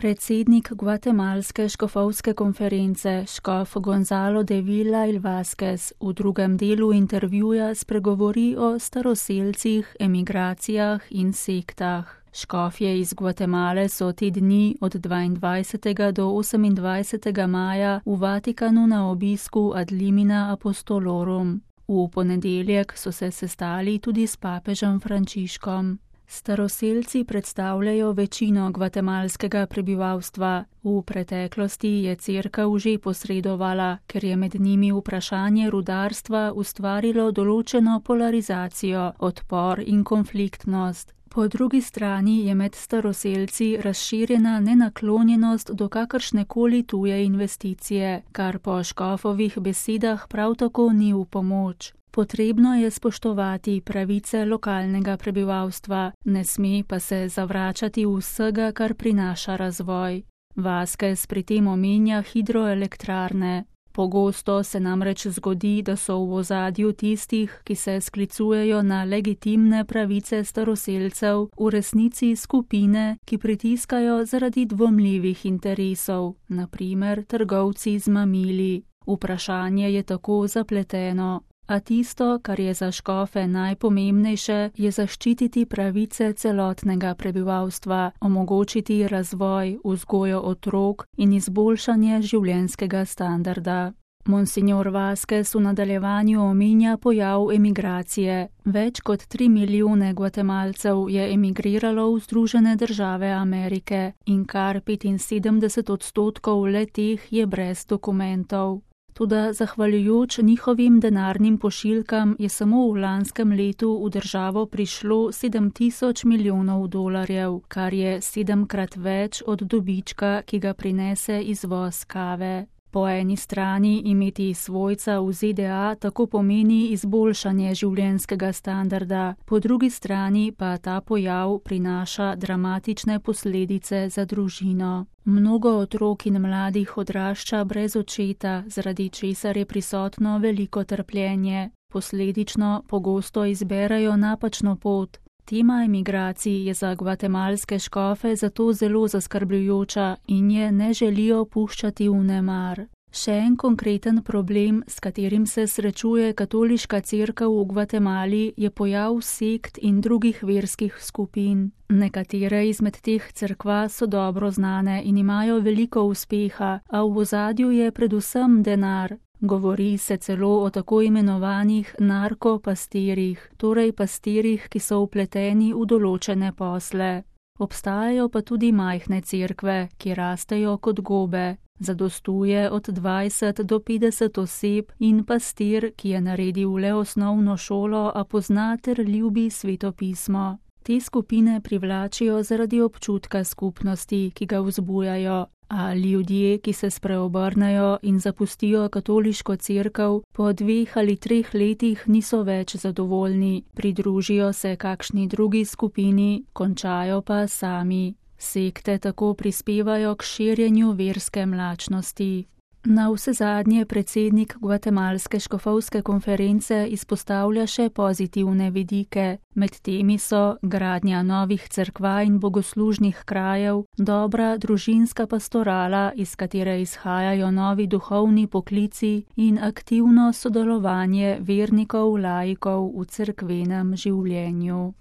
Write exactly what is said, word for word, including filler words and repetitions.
Predsednik gvatemalske škofovske konference, škof Gonzalo de Villa y Vázquez, v drugem delu intervjuja spregovori o staroselcih, emigracijah in sektah. Škofje iz Gvatemale so te dni od dvaindvajsetega do osemindvajsetega maja v Vatikanu na obisku ad limina apostolorum. V ponedeljek so se sestali tudi s papežem Frančiškom. Staroselci predstavljajo večino gvatemalskega prebivalstva. V preteklosti je cerkev že posredovala, ker je med njimi vprašanje rudarstva ustvarilo določeno polarizacijo, odpor in konfliktnost. Po drugi strani je med staroselci razširjena nenaklonjenost do kakršnekoli tuje investicije, kar po škofovih besedah prav tako ni v pomoč. Potrebno je spoštovati pravice lokalnega prebivalstva, ne sme pa se zavračati vsega, kar prinaša razvoj. Vázquez pri tem omenja hidroelektrarne. Pogosto se namreč zgodi, da so v ozadju tistih, ki se sklicujejo na legitimne pravice staroselcev, v resnici skupine, ki pritiskajo zaradi dvomljivih interesov, na primer trgovci z mamili. Vprašanje je tako zapleteno. A tisto, kar je za škofe najpomembnejše, je zaščititi pravice celotnega prebivalstva, omogočiti razvoj, vzgojo otrok in izboljšanje življenjskega standarda. Monsignor Vázquez v nadaljevanju omenja pojav emigracije. Več kot tri milijone Gvatemalcev je emigriralo v Združene države Amerike in kar petinsedemdeset odstotkov le-teh je brez dokumentov. Toda zahvaljujoč njihovim denarnim pošiljkam je samo v lanskem letu v državo prišlo sedem tisoč milijonov dolarjev, kar je sedemkrat več od dobička, ki ga prinese izvoz kave. Po eni strani imeti svojca v Z D A tako pomeni izboljšanje življenjskega standarda, po drugi strani pa ta pojav prinaša dramatične posledice za družino. Mnogo otrok in mladih odrašča brez očeta, zaradi česar je prisotno veliko trpljenje. Posledično pogosto izberejo napačno pot. Tema emigracij je za gvatemalske škofe zato zelo zaskrbljujoča in je ne želijo puščati v nemar. Še en konkreten problem, s katerim se srečuje katoliška cerkev v Gvatemali, je pojav sekt in drugih verskih skupin. Nekatere izmed teh cerkva so dobro znane in imajo veliko uspeha, a v ozadju je predvsem denar. Govori se celo o tako imenovanih narkopastirjih, torej pastirjih, ki so vpleteni v določene posle. Obstajajo pa tudi majhne cerkve, ki rastejo kot gobe. Zadostuje od dvajset do petdeset oseb in pastir, ki je naredil le osnovno šolo, a pozna ter ljubi svetopismo. Te skupine privlačijo zaradi občutka skupnosti, ki ga vzbujajo, a ljudje, ki se spreobrnejo in zapustijo katoliško cerkev, po dveh ali treh letih niso več zadovoljni, pridružijo se kakšni drugi skupini, končajo pa sami. Sekte tako prispevajo k širjenju verske mlačnosti. Na vsezadnje predsednik gvatemalske škofovske konference izpostavlja še pozitivne vidike. Med temi so gradnja novih cerkva in bogoslužnih krajev, dobra družinska pastorala, iz katere izhajajo novi duhovni poklici in aktivno sodelovanje vernikov laikov v cerkvenem življenju.